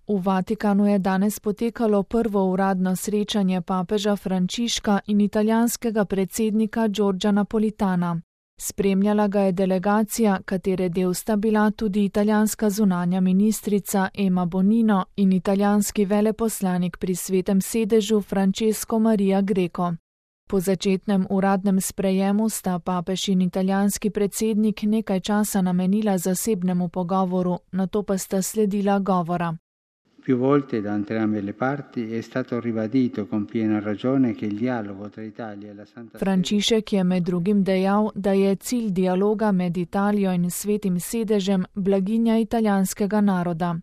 V Vatikanu je danes potekalo prvo uradno srečanje papeža Frančiška in italijanskega predsednika Giorgia Napolitana. Spremljala ga je delegacija, katere del sta bila tudi italijanska zunanja ministrica Emma Bonino in italijanski veleposlanik pri Svetem sedežu Francesco Maria Greco. Po začetnem uradnem sprejemu sta papež in italijanski predsednik nekaj časa namenila zasebnemu pogovoru, nato pa sta sledila govora. Più volte da entrambe le parti è stato ribadito con piena ragione che il dialogo tra Italia e la Santa Sede. Frančišek je med drugim dejal, da je cilj dialoga med Italijo in Svetim sedežem blaginja italijanskega naroda.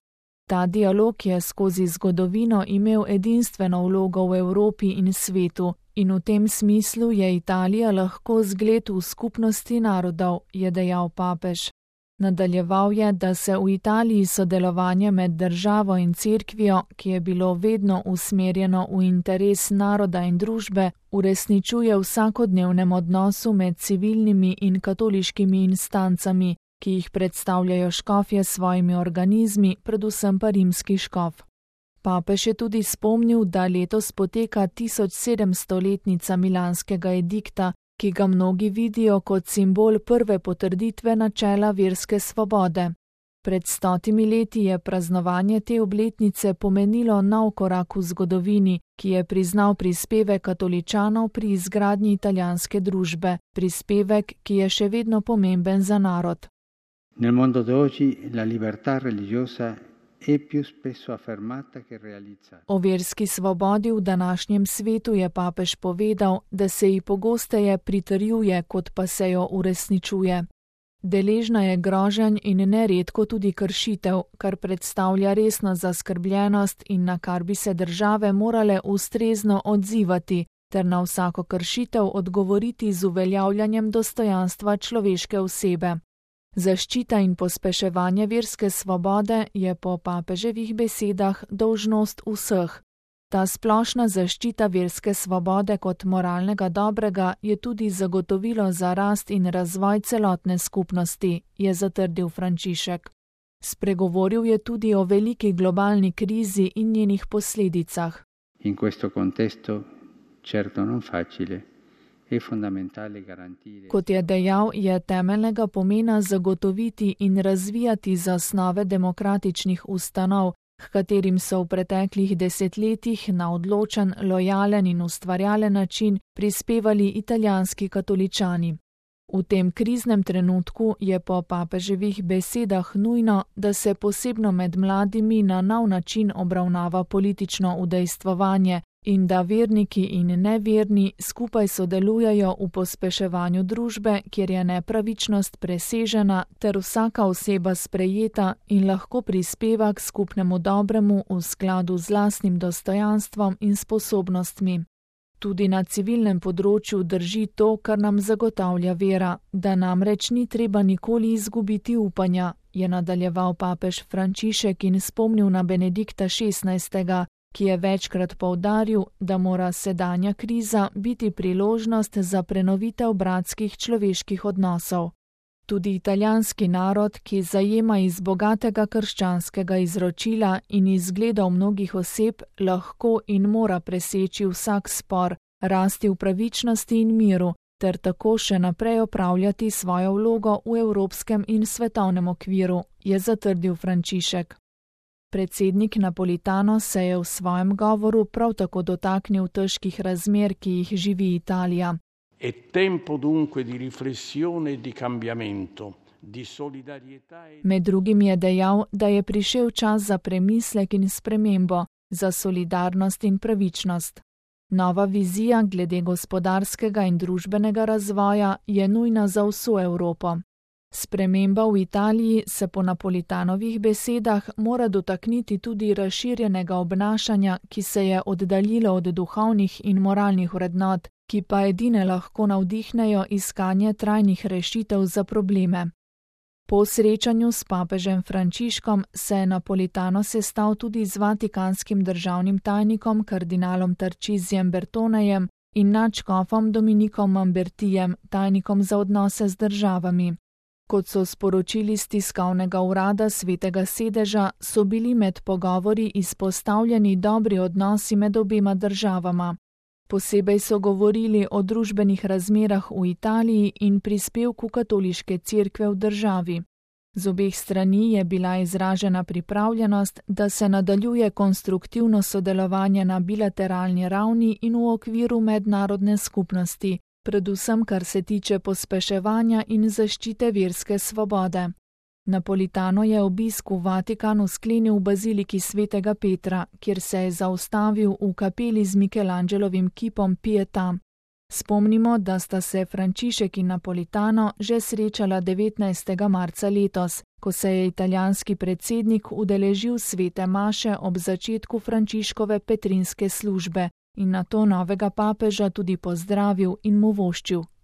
Ta dialog je skozi zgodovino imel edinstveno vlogo v Evropi in svetu in v tem smislu je Italija lahko zgled v skupnosti narodov, je dejal papež. Nadaljeval je, da se v Italiji sodelovanje med državo in cerkvijo, ki je bilo vedno usmerjeno v interes naroda in družbe, uresničuje v vsakodnevnem odnosu med civilnimi in katoliškimi instancami, ki jih predstavljajo škofje s svojimi organizmi, predvsem pa rimski škof. Papež je tudi spomnil, da letos poteka 1700-letnica milanskega edikta, ki ga mnogi vidijo kot simbol prve potrditve načela verske svobode. Pred 100 leti je praznovanje te obletnice pomenilo nov korak v zgodovini, ki je priznal prispevek katoličanov pri izgradnji italijanske družbe, prispevek, ki je še vedno pomemben za narod. Nel mondo d'oggi la libertà religiosa è più spesso affermata che realizzata. O verski svobodi v današnjem svetu je papež povedal, da se ji pogosteje pritrjuje, kot pa se jo uresničuje. Deležna je groženj in neredko tudi kršitev, kar predstavlja resno zaskrbljenost in na kar bi se države morale ustrezno odzivati, ter na vsako kršitev odgovoriti z uveljavljanjem dostojanstva človeške osebe. Zaščita in pospeševanje verske svobode je po papeževih besedah dolžnost vseh. Ta splošna zaščita verske svobode kot moralnega dobrega je tudi zagotovilo za rast in razvoj celotne skupnosti, je zatrdil Frančišek. Spregovoril je tudi o veliki globalni krizi in njenih posledicah. In questo contesto certo non facile. Kot je dejal, je temeljnega pomena zagotoviti in razvijati zasnove demokratičnih ustanov, k katerim so v preteklih desetletjih na odločen, lojalen in ustvarjalen način prispevali italijanski katoličani. V tem kriznem trenutku je po papeževih besedah nujno, da se posebno med mladimi na nov način obravnava politično udejstvovanje, in da verniki in neverni skupaj sodelujejo v pospeševanju družbe, kjer je nepravičnost presežena ter vsaka oseba sprejeta in lahko prispeva k skupnemu dobremu v skladu z lastnim dostojanstvom in sposobnostmi. Tudi na civilnem področju drži to, kar nam zagotavlja vera, da namreč ni treba nikoli izgubiti upanja, je nadaljeval papež Frančišek in spomnil na Benedikta XVI., ki je večkrat poudaril, da mora sedanja kriza biti priložnost za prenovitev bratskih človeških odnosov. Tudi italijanski narod, ki zajema iz bogatega krščanskega izročila in izgledov mnogih oseb, lahko in mora preseči vsak spor, rasti v pravičnosti in miru, ter tako še naprej opravljati svojo vlogo v evropskem in svetovnem okviru, je zatrdil Frančišek. Predsednik Napolitano se je v svojem govoru prav tako dotaknil težkih razmer, ki jih živi Italija. È tempo dunque di riflessione e di cambiamento, di solidarietà e... Med drugim je dejal, da je prišel čas za premislek in spremembo, za solidarnost in pravičnost. Nova vizija glede gospodarskega in družbenega razvoja je nujna za vso Evropo. Sprememba v Italiji se po Napolitanovih besedah mora dotakniti tudi razširjenega obnašanja, ki se je oddaljilo od duhovnih in moralnih vrednot, ki pa edine lahko navdihnejo iskanje trajnih rešitev za probleme. Po srečanju s papežem Frančiškom se je Napolitano sestal tudi z vatikanskim državnim tajnikom kardinalom Tarcisijem Bertonejem in nadškofom Dominikom Mambertijem, tajnikom za odnose z državami. Kot so sporočili z tiskovnega urada Svetega sedeža, so bili med pogovori izpostavljeni dobri odnosi med obema državama. Posebej so govorili o družbenih razmerah v Italiji in prispevku katoliške cerkve v državi. Z obeh strani je bila izražena pripravljenost, da se nadaljuje konstruktivno sodelovanje na bilateralni ravni in v okviru mednarodne skupnosti, predvsem kar se tiče pospeševanja in zaščite verske svobode. Napolitano je obisk v Vatikanu sklenil v baziliki Svetega Petra, kjer se je zaustavil v kapeli z Michelangelovim kipom Pietà. Spomnimo, da sta se Frančišek in Napolitano že srečala 19. marca letos, ko se je italijanski predsednik udeležil svete maše ob začetku Frančiškove petrinske službe in nato novega papeža tudi pozdravil in mu voščil